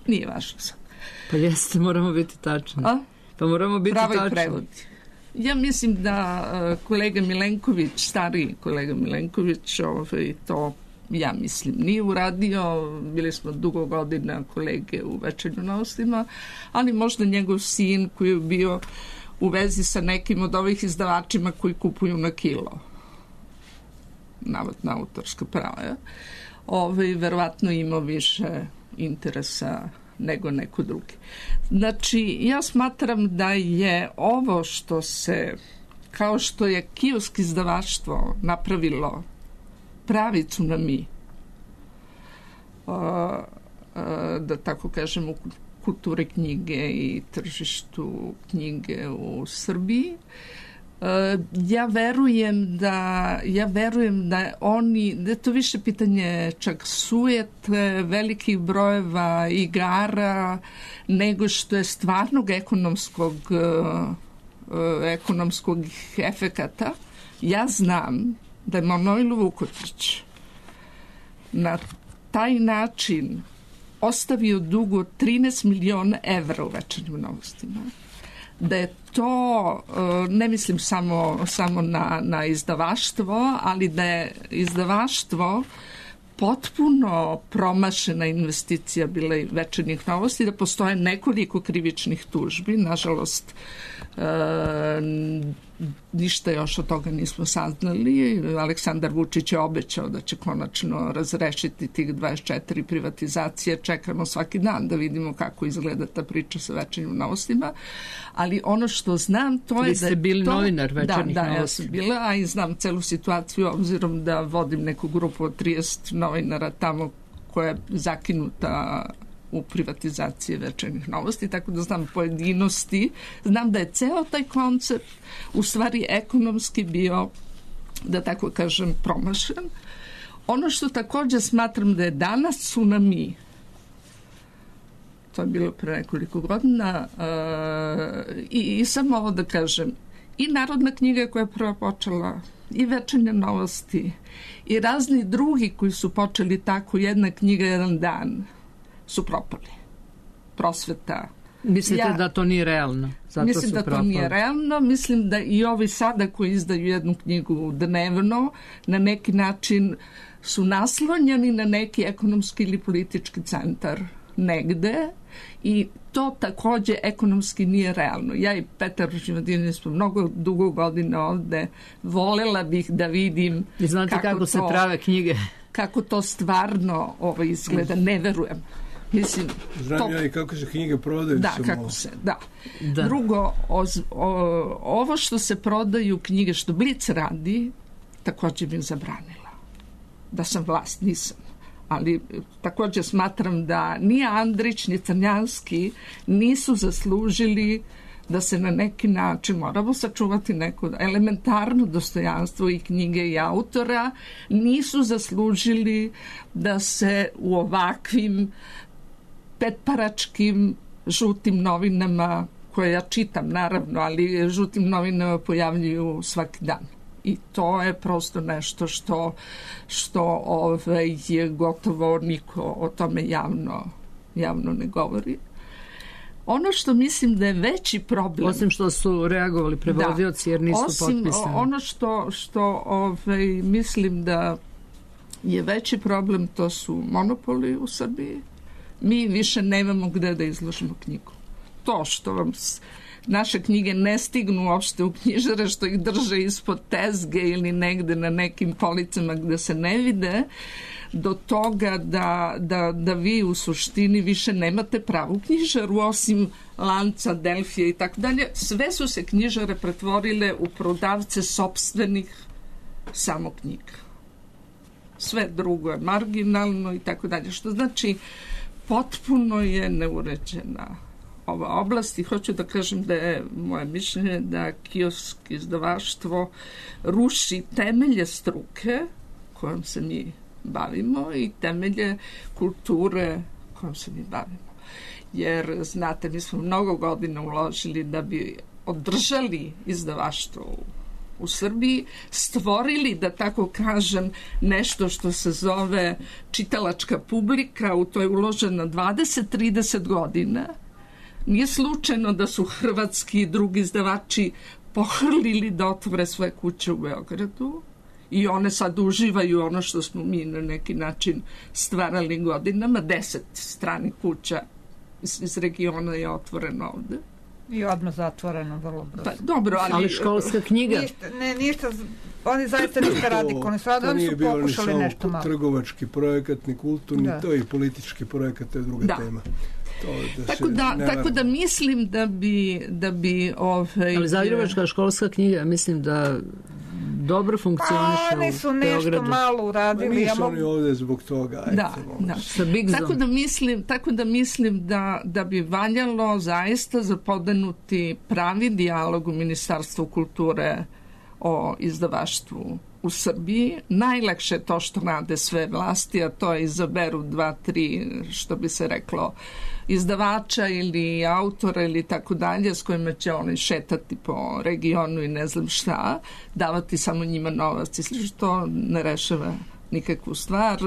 Nije važno sad. Pa jeste, moramo biti tačni. A? Pa moramo biti Pravo tačni. I prevodi. Ja mislim da uh, kolega Milenković, stariji kolega Milenković, ovaj, to ja mislim, nije uradio. Bili smo dugo godina kolege u Večernju novostima, ali možda njegov sin koji je bio u vezi sa nekim od ovih izdavačima koji kupuju na kilo navodna autorska prava, ovaj, verovatno imao više interesa nego neko drugi. Znači, ja smatram da je ovo što se, kao što je kiosk izdavaštvo napravilo pravi tsunami, da tako kažem, u kulturi knjige i tržištu knjige u Srbiji, ja verujem da ja verujem da oni, da je to više pitanje čak sujete, velikih brojeva igara, nego što je stvarnog ekonomskog ekonomskog efekata. Ja znam da je Manojlo Vukotić na taj način ostavio dugo trinaest miliona evra u Večernjim novostima. Da je to, ne mislim samo, samo na, na izdavaštvo, ali da je izdavaštvo potpuno promašena investicija bila i Večernjih novosti, da postoje nekoliko krivičnih tužbi, nažalost e, ništa još od toga nismo saznali. Aleksandar Vučić je obećao da će konačno razrešiti tih dvadeset četiri privatizacije. Čekamo svaki dan da vidimo kako izgleda ta priča sa Večernjim novostima. Ali ono što znam, to je da... Vi ste bili to, novinar Večernjih da, da, novosti. Ja sam bila, a i znam celu situaciju, obzirom da vodim neku grupu od trideset novinara tamo koja je zakinuta u privatizaciji Večernjih novosti, tako da znam pojedinosti. Znam da je ceo taj koncept u stvari ekonomski bio, da tako kažem, promašen. Ono što također smatram da je danas tsunami, to je bilo pre nekoliko godina, uh, i, i samo ovo da kažem, i Narodna knjiga koja je prva počela, i Večernje novosti, i razni drugi koji su počeli tako, jedna knjiga, jedan dan, su propali. Prosveta. Mislite ja, da to nije realno? Zato mislim su da propali. To nije realno. Mislim da i ovi sada koji izdaju jednu knjigu dnevno na neki način su naslonjeni na neki ekonomski ili politički centar negde i to takođe ekonomski nije realno. Ja i Petar Živadin smo mnogo dugo godina ovde, volela bih da vidim I znate kako, kako to, se prave knjige. Kako to stvarno ovo izgleda, ne verujem. Mislim, Znam to, ja i kako se knjige prodaju. Da, samo. kako se, da. da. Drugo, oz, o, ovo što se prodaju knjige, što Blic radi, također bih zabranila. Da sam vlast, nisam. Ali također smatram da ni Andrić, ni Crnjanski nisu zaslužili da se na neki način, moramo sačuvati neko elementarno dostojanstvo i knjige i autora, nisu zaslužili da se u ovakvim petparačkim žutim novinama, koje ja čitam naravno, ali žutim novinama pojavljuju svaki dan. I to je prosto nešto što, što ovaj, je gotovo niko o tome javno, javno ne govori. Ono što mislim da je veći problem... Osim što su reagovali prevodioci jer nisu osim, potpisani. Ono što, što ovaj, mislim da je veći problem, to su monopoli u Srbiji. Mi više nemamo gde da izložimo knjigu. To što vam naše knjige ne stignu uopšte u knjižare, što ih drže ispod tezge ili negde na nekim policama gde se ne vide, do toga da, da, da vi u suštini više nemate pravu knjižaru, osim Lanca, Delfija i tako dalje. Sve su se knjižare pretvorile u prodavce sopstvenih samo knjiga. Sve drugo je marginalno i tako dalje. Što znači, potpuno je neuređena ova oblast i hoću da kažem da je moje mišljenje da kiosk izdavaštvo ruši temelje struke kojom se mi bavimo i temelje kulture kojom se mi bavimo. Jer, znate, mi smo mnogo godina uložili da bi održali izdavaštvo u, u Srbiji, stvorili, da tako kažem, nešto što se zove čitalačka publika, u to je uloženo dvadeset do trideset godina. Nije slučajno da su hrvatski i drugi izdavači pohrlili da otvore svoje kuće u Beogradu i one sad uživaju ono što smo mi na neki način stvarali godinama. Deset stranih kuća iz, iz regiona je otvoreno ovde. I odmah zatvoreno vrlo brzo. Pa, dobro, ali... ali školska knjiga. Ništa, ne, ništa, oni zaista ništa radikalni su radili, oni su pokušali nešto malo. Trgovački projekat, ni kulturni, da. To je i politički projekat, to je druga da. tema. To, da tako, da, tako da mislim da bi... Da bi ovaj, ali Zagrebačka školska knjiga, mislim da dobro funkcioniše u Beogradu. Oni su nešto malo uradili. Ma nisu oni ovde zbog toga. Da, da. Tako da mislim, tako da, mislim da, da bi valjalo zaista zapodenuti pravi dijalog u Ministarstvu kulture o izdavaštvu u Srbiji. Najlakše je to što rade sve vlasti, a to je izaberu dva, tri, što bi se reklo, izdavača ili autora ili tako dalje, s kojima će oni šetati po regionu i ne znam šta, davati samo njima novac i slično. To ne rešava nikakvu stvar.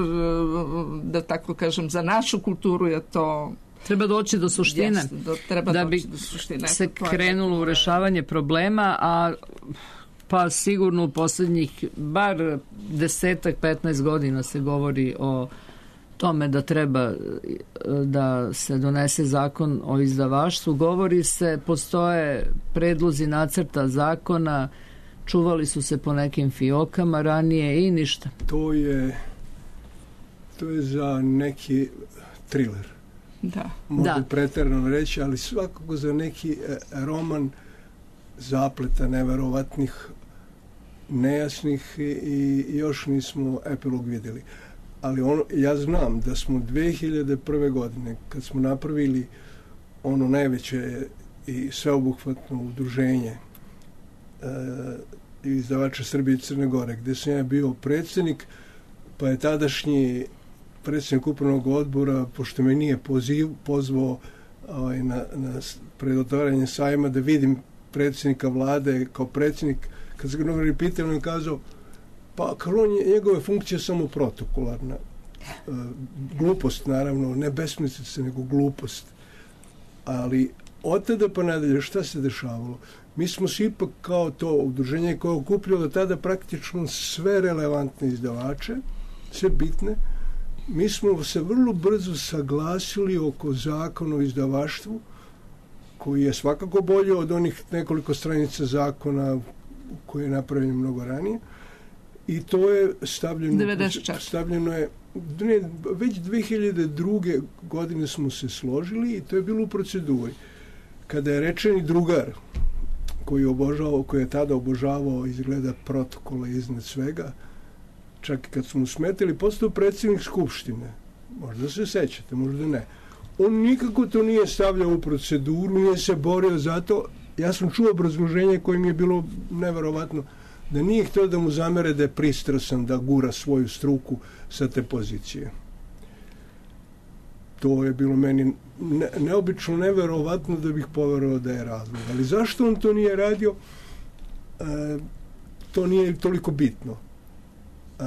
Da tako kažem, za našu kulturu je to... Treba doći do suštine. Jeste, do, treba da doći bi do suštine. se krenulo u rešavanje problema, a pa sigurno u posljednjih bar desetak, petnaest godina se govori o tome da treba da se donese zakon o izdavaštvu. Govori se, postoje predlozi nacrta zakona, čuvali su se po nekim fiokama ranije i ništa. To je to je za neki thriller. Da. Mogu da. pretjerano reći, ali svakako za neki roman zapleta neverovatnih, nejasnih i još nismo epilog vidjeli. Ali ono, ja znam da smo dve hiljade prve godine, kad smo napravili ono najveće i sveobuhvatno udruženje e, izdavača Srbije i Crne Gore, gde sam ja bio predsjednik, pa je tadašnji predsjednik upravnog odbora, pošto me nije poziv, pozvao ovaj, na, na predotvaranje sajma, da vidim predsjednika vlade kao predsjednik, kad se ga novinari pitali, on je kazao, pa kao njegove funkcije samo protokolarna. E, glupost, naravno, ne besmislica, nego glupost. Ali od tada pa nadalje, šta se dešavalo? Mi smo se ipak kao to udruženje koje je okupljalo tada praktično sve relevantne izdavače, sve bitne. Mi smo se vrlo brzo saglasili oko zakona o izdavaštvu, koji je svakako bolje od onih nekoliko stranica zakona koji je napravljen mnogo ranije. I to je stavljeno, stavljeno je, ne, već dve hiljade druge. godine smo se složili i to je bilo u proceduri. Kada je rečeni drugar, koji je, obožavao, koji je tada obožavao izgleda protokola iznad svega, čak i kad smo smetili, postao predsjednik Skupštine. Možda se sećate, možda ne. On nikako to nije stavljao u proceduru, nije se borio za to. Ja sam čuo obrazloženje koje mi je bilo neverovatno, da nije htio da mu zamere da je pristrasan da gura svoju struku sa te pozicije. To je bilo meni ne, neobično neverovatno da bih poverovao da je razlog. Ali zašto on to nije radio, e, to nije toliko bitno. E,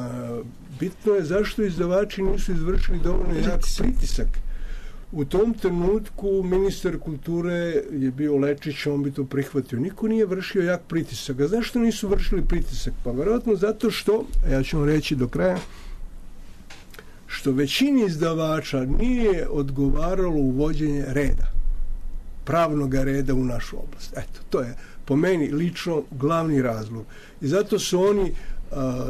bitno je zašto izdavači nisu izvršili dovoljno jak pritisak. U tom trenutku ministar kulture je bio Lečić, on bi to prihvatio. Niko nije vršio jak pritisak. A zašto nisu vršili pritisak? Pa vjerojatno zato što, ja ću vam reći do kraja, što većini izdavača nije odgovaralo uvođenje reda, pravnog reda u našu oblast. Eto, to je po meni lično glavni razlog. I zato su oni a,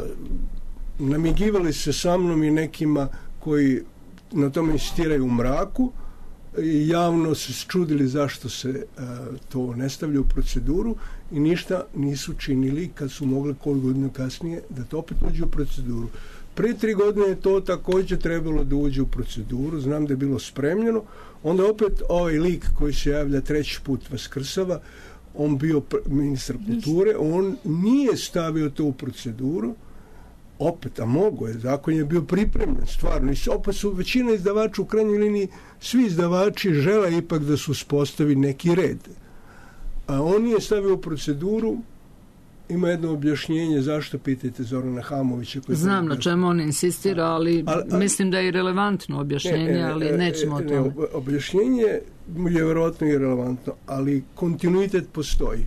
namigivali se sa mnom i nekima koji na tome insistiraju u mraku i javno se čudili zašto se a, to ne stavlja u proceduru i ništa nisu činili kad su mogli koju godinu kasnije da to opet uđe u proceduru. Prije tri godine je to također trebalo da uđe u proceduru, znam da je bilo spremljeno, onda opet ovaj lik koji se javlja treći put vaskrsava, on bio ministar kulture, on nije stavio to u proceduru, opet, a mogo je, zakon je bio pripremljen, stvarno, i opet su većina izdavača u krajnjoj liniji, svi izdavači žele ipak da se uspostavi neki red. A on nije stavio u proceduru. Ima jedno objašnjenje zašto, pitajte Zorana Hamovića. Koji Znam na čemu on insistira, ali a, a, mislim da je relevantno objašnjenje, ne, ne, ali nećemo ne, o tome. Ne, objašnjenje je vjerojatno i relevantno, ali kontinuitet postoji.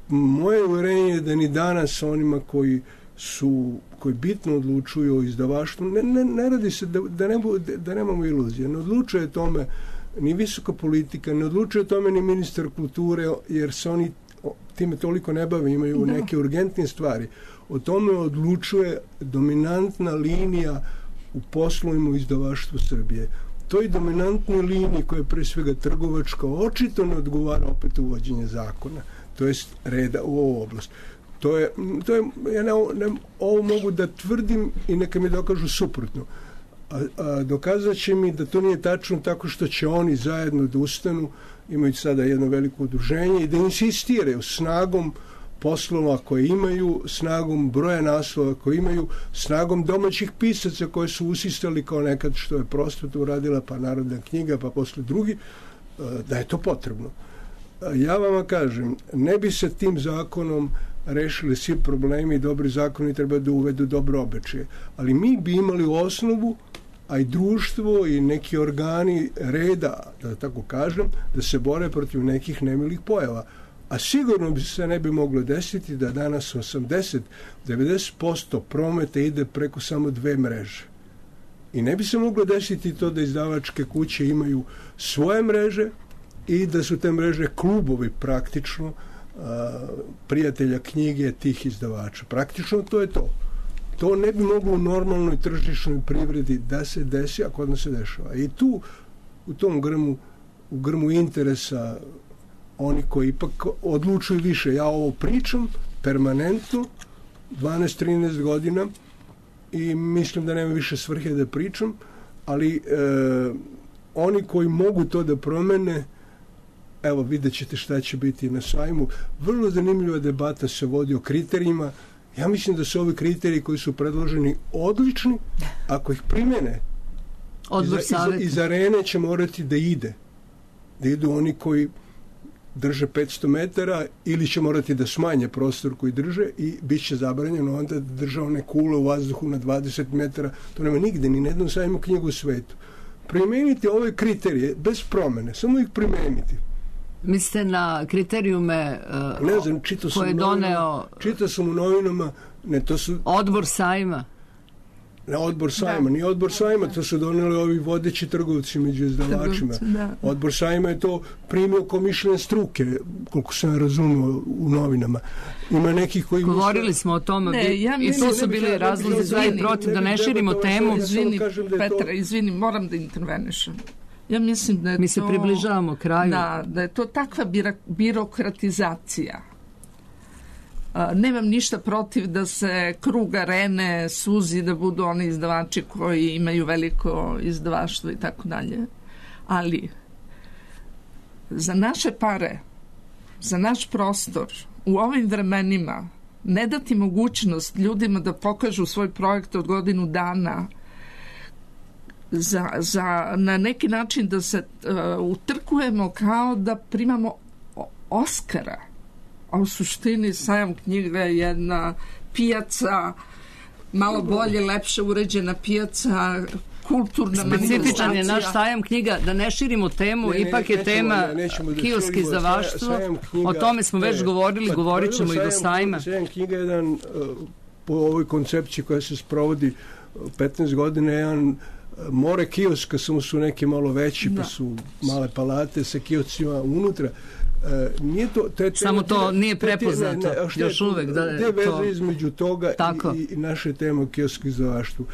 Moje uvjerenje je da ni danas onima koji su, koji bitno odlučuju o izdavaštvu, ne, ne, ne radi se da, da, ne, da nemamo iluzije, ne odlučuje tome ni visoka politika, ne odlučuje tome ni ministar kulture, jer se oni time toliko ne bave, imaju da. neke urgentne stvari. O tome odlučuje dominantna linija u poslovima u izdavaštvu Srbije. Toj dominantnoj liniji koja je pre svega trgovačka očito ne odgovara opet uvođenje zakona, to jest reda u ovu oblast. To je, to je, ja ne, ne, ovo mogu da tvrdim i neka mi dokažu suprotno. A, a dokazat će mi da to nije tačno tako što će oni zajedno da ustanu, imaju sada jedno veliko udruženje i da insistiraju snagom poslova koje imaju, snagom broja naslova koje imaju, snagom domaćih pisaca koje su usistali kao nekad što je Prosveta uradila, pa Narodna knjiga, pa posle drugi, da je to potrebno. Ja vama kažem, ne bi se tim zakonom rešili svi problemi i dobri zakoni treba da uvedu dobro običaje. Ali mi bi imali osnovu, a i društvo i neki organi reda, da tako kažem, da se bore protiv nekih nemilih pojava. A sigurno bi se ne bi moglo desiti da danas osamdeset do devedeset posto prometa ide preko samo dve mreže. I ne bi se moglo desiti to da izdavačke kuće imaju svoje mreže i da su te mreže klubovi praktično a, prijatelja knjige tih izdavača. Praktično to je to. To ne bi moglo u normalnoj tržišnoj privredi da se desi, a kod nas se dešava. I tu, u tom grmu, u grmu interesa oni koji ipak odlučuju više. Ja ovo pričam permanentno, dvanaest trinaest godina i mislim da nema više svrhe da pričam, ali e, oni koji mogu to da promene, evo vidjet ćete šta će biti na sajmu. Vrlo zanimljiva debata se vodi o kriterijima. Ja mislim da su ovi kriteriji koji su predloženi odlični, ako ih primene, Odbor iz, iz, iz arene će morati da ide. Da idu oni koji drže petsto metara ili će morati da smanje prostor koji drže i bit će zabranjeno onda da drže one kule u vazduhu na dvadeset metara. To nema nigde, ni na jednom sajmu knjigu u svetu. Primenite ove kriterije bez promene, samo ih primenite. Mislite na kriterijume uh, ne znam, čitao koje je doneo... Čitao sam u novinama, ne, to su... Odbor sajma. Ne, odbor sajma, nije odbor sajma, to su doneli ovi vodeći trgovci među izdavačima. Odbor sajma je to primio kao mišljenje struke, koliko sam razumio u novinama. Ima nekih koji... Govorili misle... smo o tome ne, ja i to su bili razlozi za i protiv, da ne širimo temu. Izvini, Petra, izvini, moram da intervenišem. Ja mislim da je Mi se to, približavamo kraju. Da, da je to takva bira, birokratizacija. A, nemam ništa protiv da se krug arene suzi, da budu oni izdavači koji imaju veliko izdavaštvo i tako dalje. Ali za naše pare, za naš prostor, u ovim vremenima ne dati mogućnost ljudima da pokažu svoj projekt od godinu dana, Za, za na neki način da se uh, utrkujemo kao da primamo Oskara, a u suštini sajam knjiga je jedna pijaca, malo bolje, lepše uređena pijaca, kulturna manifestacija. Specifičan je naš sajam knjiga, da ne širimo temu, ne, ne, ipak je nećemo, tema da kioski izdavaštvo, o tome smo već ne, govorili, pa, govorit ćemo i do sajma. Sajam knjiga je jedan, po ovoj koncepciji koja se sprovodi petnaest godina, jedan more kioska, samo su neki malo veći, da. Pa su male palate sa kioscima unutra. E, nije to, te, te, samo to te, nije prepoznato te, ne, ne, još uvek. Da, te veze to... između toga i, i naše teme o kiosku izdavaštvu.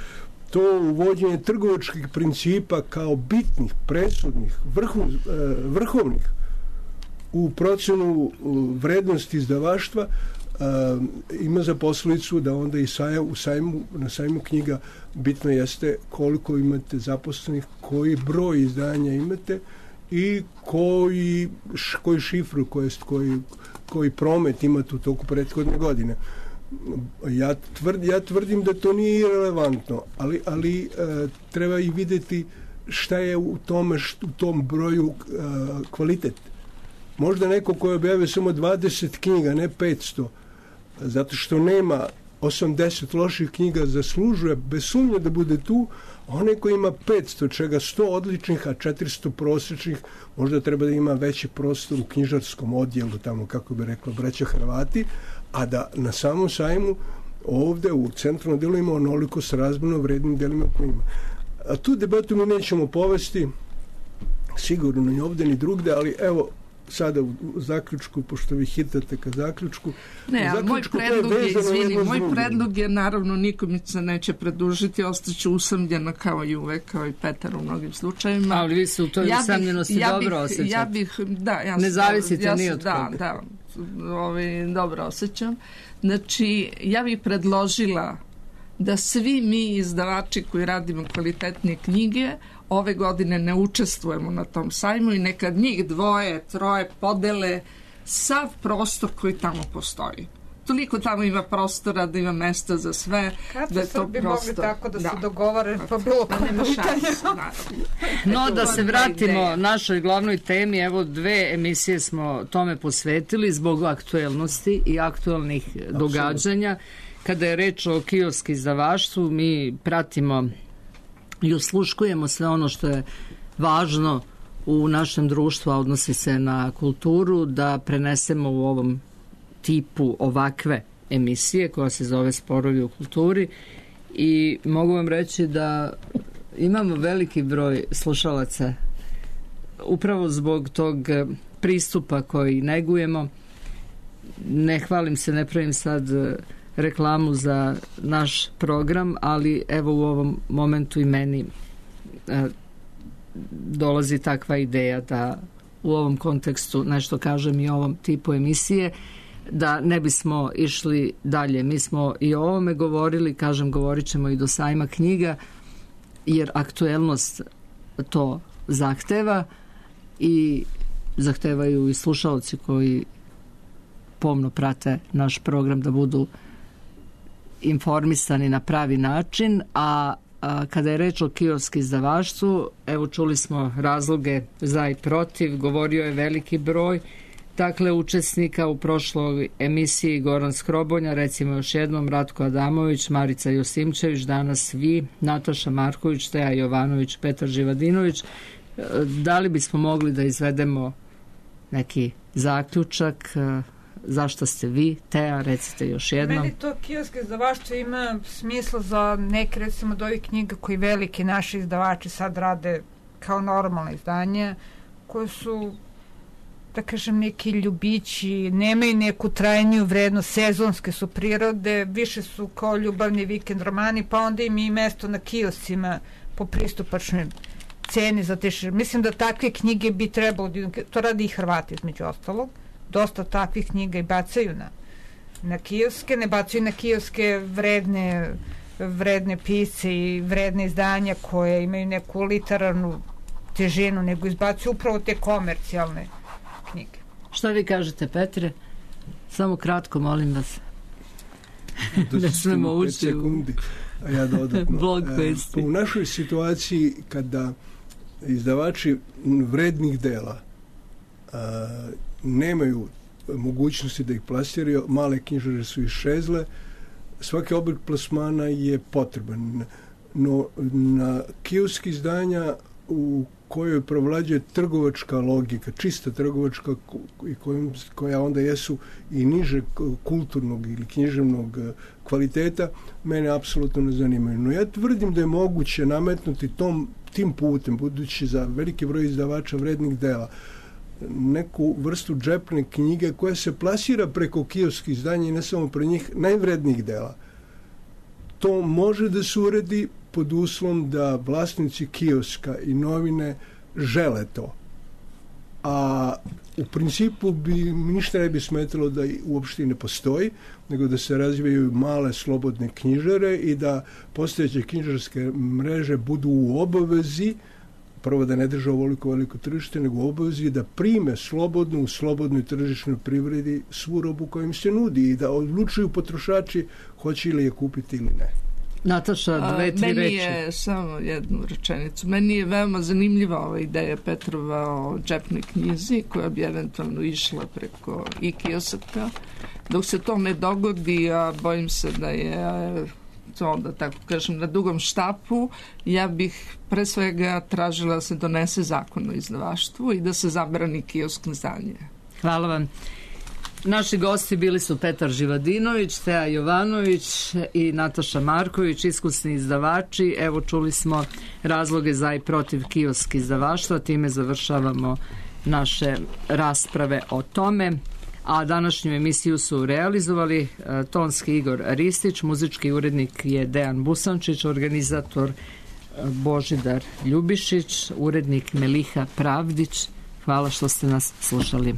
To uvođenje trgovačkih principa kao bitnih, presudnih, vrhu, vrhovnih u procenu vrednosti izdavaštva Uh, ima za posljedicu da onda i saja, u sajmu, na sajmu knjiga bitno jeste koliko imate zaposlenih, koji broj izdanja imate i koji, š, koji šifru, koji, koji, koji promet imate u toku prethodne godine. Ja, tvrd, ja tvrdim da to nije irelevantno, ali, ali uh, treba i vidjeti šta je u, tome, št, u tom broju uh, kvalitet. Možda neko koji objavio samo dvadeset knjiga, ne petsto, zato što nema osamdeset loših knjiga, zaslužuje bez sumnje da bude tu, a onaj koji ima petsto, čega sto odličnih, a četiristo prosječnih, možda treba da ima veći prostor u knjižarskom odjelu, tamo kako bi rekla braća Hrvati, a da na samom sajmu ovde u centralnom delu ima onoliko srazmjerno vrednim delima koji ima. A tu debatu mi nećemo povesti, sigurno ni ovde ni drugde, ali evo sada u zaključku, pošto vi hitate ka zaključku. Ne, ali moj predlog je, izvini, moj predlog je naravno nikom se neće predužiti, ostaće usamljena kao i uvek, kao i Petar u mnogim slučajevima. Ali vi se u toj ja usamljenosti ja dobro osjećate. Ja bih, da, ja ne zavisite ja ni od da, koga. Da, ovaj, dobro osjećam. Znači, ja bih predložila da svi mi izdavači koji radimo kvalitetne knjige ove godine ne učestvujemo na tom sajmu i neka njih dvoje, troje podele sav prostor koji tamo postoji. Toliko tamo ima prostora da ima mesta za sve. Kad da je to bi prostor... mogli tako da, da. se dogovore pa bilo pa nema šanse. No da se vratimo našoj glavnoj temi, evo dve emisije smo tome posvetili zbog aktuelnosti i aktuelnih Absolutno. događanja. Kada je reč o kiosk izdavaštvu, mi pratimo i osluškujemo sve ono što je važno u našem društvu, a odnosi se na kulturu, da prenesemo u ovom tipu ovakve emisije koja se zove Sporovi u kulturi. I mogu vam reći da imamo veliki broj slušalaca upravo zbog tog pristupa koji negujemo. Ne hvalim se, ne pravim sad reklamu za naš program, ali evo u ovom momentu i meni e, dolazi takva ideja da u ovom kontekstu nešto kažem i o ovom tipu emisije, da ne bismo išli dalje. Mi smo i o ovome govorili, kažem, govorit ćemo i do sajma knjiga, jer aktuelnost to zahteva i zahtevaju i slušalci koji pomno prate naš program da budu informisani na pravi način, a, a kada je reč o kiosk izdavaštvu, evo čuli smo razloge za i protiv, govorio je veliki broj dakle učesnika u prošloj emisiji Goran Skrobonja, recimo još jednom Ratko Adamović, Marica Josimčević, danas vi, Nataša Marković, Teja Jovanović, Petar Živadinović. Da li bismo mogli da izvedemo neki zaključak? Zašto ste vi, Teja, recite još jednom. Meni to kiosk izdavaštvo ima smisla za neke, recimo, od ovih knjiga koji veliki naši izdavači sad rade kao normalne izdanje, koje su, da kažem, neki ljubići, nemaju neku trajniju vrednost, sezonske su prirode, više su kao ljubavni vikend romani, pa onda im i mesto na kioscima po pristupačnoj ceni za te. Mislim da takve knjige bi trebalo, to radi i Hrvati između ostalog, dosta takvih knjiga i bacaju na, na kioske, ne bacaju na kioske vredne, vredne pisce i vredne izdanja koje imaju neku literarnu težinu, nego izbacuju upravo te komercijalne knjige. Šta vi kažete, Petre? Samo kratko, molim vas. Ne smemo ući u a ja dodatno. Blog vesti. U našoj situaciji kada izdavači vrednih dela a, nemaju mogućnosti da ih plasiraju, male knjižare su iščezle, svaki oblik plasmana je potreban. No na kiosk izdanja u kojoj provlađuje trgovačka logika, čista trgovačka i kojim, koja onda jesu i niže kulturnog ili književnog kvaliteta, mene apsolutno ne zanimaju. No ja tvrdim da je moguće nametnuti tom, tim putem, budući za veliki broj izdavača vrednih dela, neku vrstu džepne knjige koja se plasira preko kioskih izdanja i ne samo pre njih najvrednijih dela. To može da se uredi pod uslovom da vlasnici kioska i novine žele to. A u principu bi ništa ne bi smetalo da uopšte ne postoji, nego da se razvijaju male slobodne knjižare i da postojeće knjižarske mreže budu u obavezi, prvo da ne drže ovoliko veliko tržište, nego u obavezi da prime slobodnu, u slobodnoj tržišnoj privredi svu robu koja im se nudi i da odlučuju potrošači hoće li je kupiti ili ne. Nataša, dve, tri reči. Meni je samo jednu rečenicu. Meni je veoma zanimljiva ova ideja Petrova o džepnoj knjizi koja bi eventualno išla preko i kiosaka. Dok se to ne dogodi, a bojim se da je to, da tako kažem, na dugom štapu, ja bih pre svega tražila da se donese zakon o izdavaštvu i da se zabrani kiosk izdanje. Hvala vam. Naši gosti bili su Petar Živadinović, Teja Jovanović i Nataša Marković, iskusni izdavači. Evo, čuli smo razloge za i protiv kiosk izdavaštva, time završavamo naše rasprave o tome. A današnju emisiju su realizovali tonski Igor Ristić, muzički urednik je Dejan Busančić, organizator Božidar Ljubišić, urednik Meliha Pravdić. Hvala što ste nas slušali.